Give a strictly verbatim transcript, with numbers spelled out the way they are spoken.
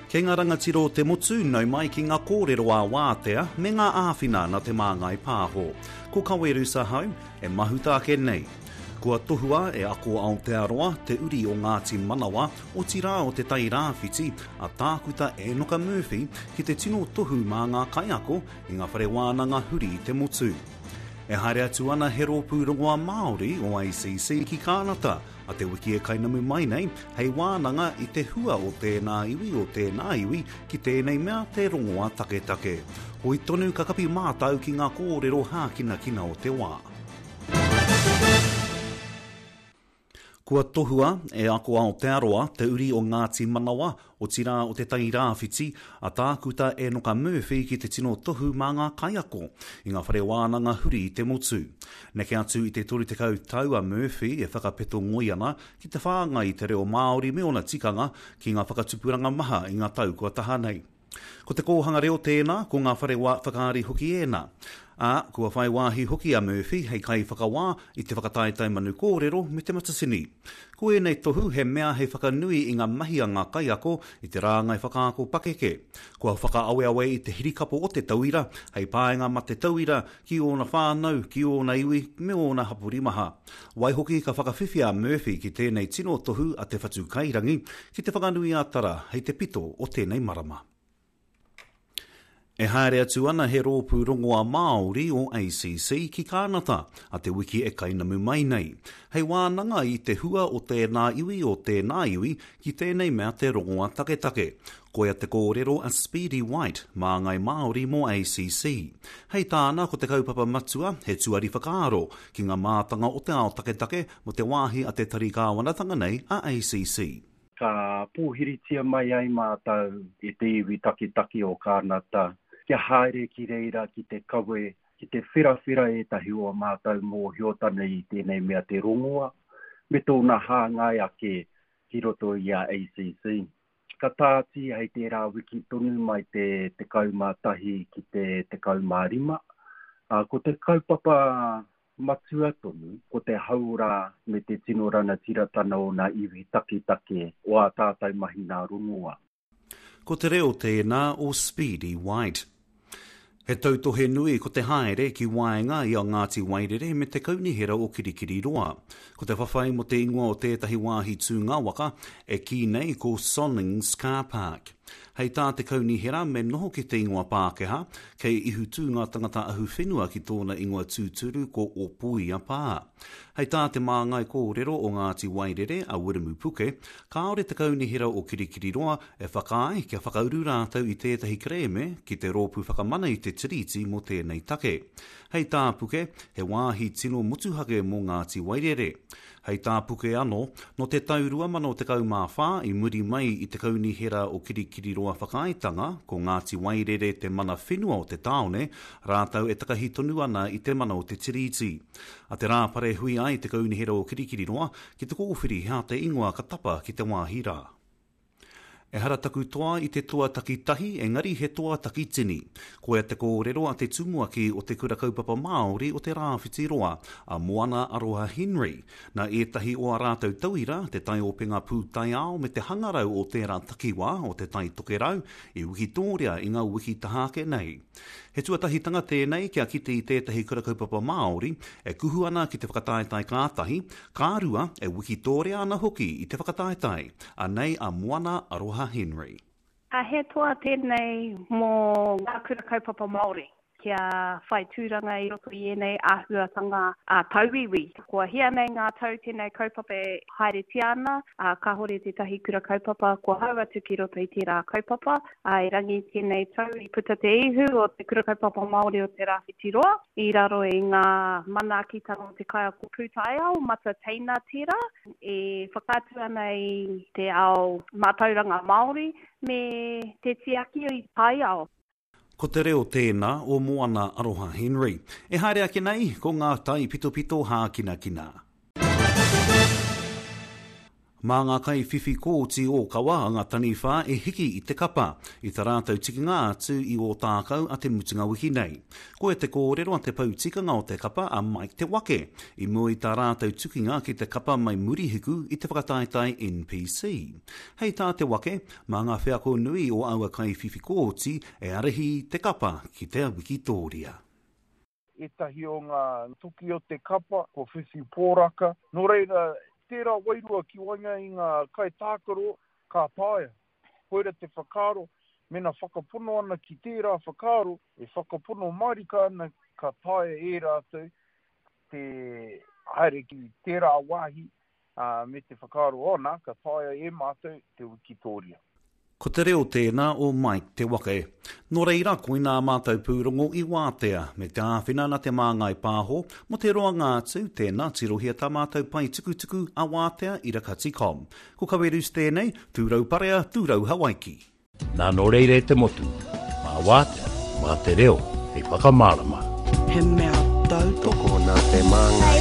Kei ngā rangatira o te motu, nau mai ki ngā kōrero ā-wātea me ngā āwhina nā Te Māngai Pāho. Ko Kawerus ahau, e mahuta ake nei. Kua tohua e Ako Aotearoa, te uri o Ngāti Manawa, otirā o Te Tai Rāwhiti, a Tākuta Enoka Murphy ki te tino tohu mā ngā kaiako i ngā whare wānanga huri i te motu. E haere atu ana he rōpū rongoā Māori o A C C ki Kānata a te wiki e kainamu mai nei, hei wānanga i te hua o tēnā iwi o tēnā iwi ki tēnei mea te rongoā taketake. Hoi tonu ka kapi mātau ki ngā kōrero hākinakina o te wā. Kua tohua e Ako Aotearoa, te uri o Ngāti Manawa, otirā o Te Tai Rāwhiti, a Tākuta Enoka Murphy ki te tino tohu mā ngā kaiako i ngā whare wānanga huri i te motu. Neke atu i te toru tekau tau a Murphy e whakapeto ngoi ana ki te whāngai i te reo Māori me ōna tikanga ki ngā whakatupuranga maha i ngā tau kua taha nei. Ko te kōhanga reo tēnā, ko ngā whare wā whakaari hoki ēnā. Ā, kua whai wāhi hoki a Murphy hei kaiwhakawā i te whakataetae Manu Kōrero me Te Matatini. Ko ēnei tohu he mea hei whakanui i ngā mahi a ngā kaiako i te rāngai whakaako pakeke. Kua whakaaweawe i te hirikapo o te tauira, hei painga mā te tauira ki ōna whānau, ki ōna iwi, me ōna hapori maha. Waihoki ka whakawhiwhia a Murphy ki tēnei tino tohu a Te Whatu Kairangi ki Te Whanganui-a-Tara hei te pito o tēnei marama. E haere atu ana he rōpū rongoā Māori o A C C ki Kānata a te wiki e kainamu mai nei. Hei wānanga i te hua o tēnā iwi o tēnā iwi ki tēnei mea te rongoā taketake. Koia te kōrero a Speedy White, māngai Māori mō A C C. Hei tāna ko te kaupapa matua he tuari whakaaro ki ngā mātanga o te ao taketake mō te wāhi a te tari kāwanatanga nei a A C C. Ka pōhiritia mai ai mātou e te iwi taketake o Kānata kia haere ki reira ki te kawe, ki te whirawhira ētahi o mātou mōhiotanga i tēnei mea te rongoa, me tōna hāngai ake ki roto i a A C C. Ka tāti hei tērā wiki tonu mai te tekau mā tahi ki te tekau mā rima. Uh, ko te kaupapa matua tonu, ko te hauora me te tino ranatiratana o ngā iwi taketake o ā tātou mahi nā rongoa. Ko te reo tēnā o Speedy White. He tautohe nui ko te haere ki waenga i a Ngāti Wairere me te kaunihera o Kirikiriroa. Ko te whawhai mo te ingoa o tētahi wāhi tūnga waka e kī nei ko Sonnings Car Park. Hei tā te kaunihera me noho ki te ingoa Pākehā, kei ihu tū ngā tangata ahu whenua ki tōna ingoa tūturu ko Opoia Pā. Hei tā te māngai kōrero o Ngāti Wairere a Wiremu Puke, kāore te kaunihera o Kirikiriroa e whakaae kia whakauru rātou i tētahi kerēme ki te rōpū whakamana i te tiriti mō tēnei take. Hei tā Puke, he wāhi tino motuhake mō Ngāti Wairere. Hei tā Puke anō, no te tau rua mano tekau mā whā i muri mai i te kaunihera o Kirikiriroa whakaaetanga, ko Ngāti Wairere te mana whenua o te tāone, rātou e takahi tonu ana i te mana o te tiriti. A te Rāpare hui ai te kaunihera o Kirikiriroa ki te kōwhiri he aha te ingoa ka tapa ki te wāhi rā. Ehara taku toa i te toa takitahi, engari he toa takitini. Koia te kōrero a te tumuaki o te Kura Kaupapa Māori o te Rāwhiti Roa, a Moana Aroha Henry. Nā ētahi o a rātou tauira, te taiopenga pūtaiao me te hangarau o tērā takiwā o te Tai Tokerau, i wikitōria i ngā wiki taha ake nei. He tuatahitanga tēnei kia kite i tētahi kura kaupapa Māori e kuhu ana ki te whakataetae ka tahi, ka rua e wikitōria ana hoki i te whakataetae. Anei a Moana Aroha Henry. A he toa tēnei mō ngā kura kaupapa Māori kia whai tūranga i roto i ēnei āhuatanga a tauiwi. Kua hia nei ngā tau tēnei kaupapa e haeretia ana, a kāhore tētahi kura kaupapa kua hau atu ki roto i tērā kaupapa. A erangi tēnei tau i puta te ihu o te Kura Kaupapa Māori o te Rāwhiti Roa i raro i ngā manaakitanga o te kaiako pūtaiao Mata Teina tērā e whakaatu ana i te ao mātauranga Māori me te tiaki i taiao. Ko te reo tēnā o Moana Aroha Henry. E haere ake nei, ko ngā taipitopito hākinakina. Mā ngā kaiwhiwhi kōti ōkawa a ngā taniwha e hiki i te kapa, i tā rātou tikinga atu i Ōtākou a te mutunga wiki nei. Koia te kōrero a te pou tikanga o te kapa a Mike Te Wake, i mua i tā rātou tukinga ki te kapa mai Murihiku i te whakataetae N P C. Hei tā Te Wake, mā ngā wheako nui o aua kaiwhiwhi kōti e ārahi te kapa ki te wikitōria. Ētahi o ngā toki o te kapa, ko whiwhi pōraka. Nō reira, tērā wairua ki waenga i ngā kaitākaro ka taea. Koira te whakaaro, mena whakapono ana ki tērā whakaaro, e whakapono mārika ana ka taea e rātou te haere ki tērā wāhi uh, me te whakaaro ona, ka taea e mātou te wikitōria. Ko te reo tēnā o Mike Te Wake. Nō reira, koinā mātou pūrongo i wātea, me te āwhina na Te Māngai Pāho, mo te roanga atu, tēnā tirohia tā mātou pae tukutuku a wātea irakati com. Ko Kawerus tēnei, tūrau parea, tūrau Hawaiki. Nā nō reira e te motu, mā wātea, mā te reo, hei whakamārama. He mea tautoko Nā Te Māngai.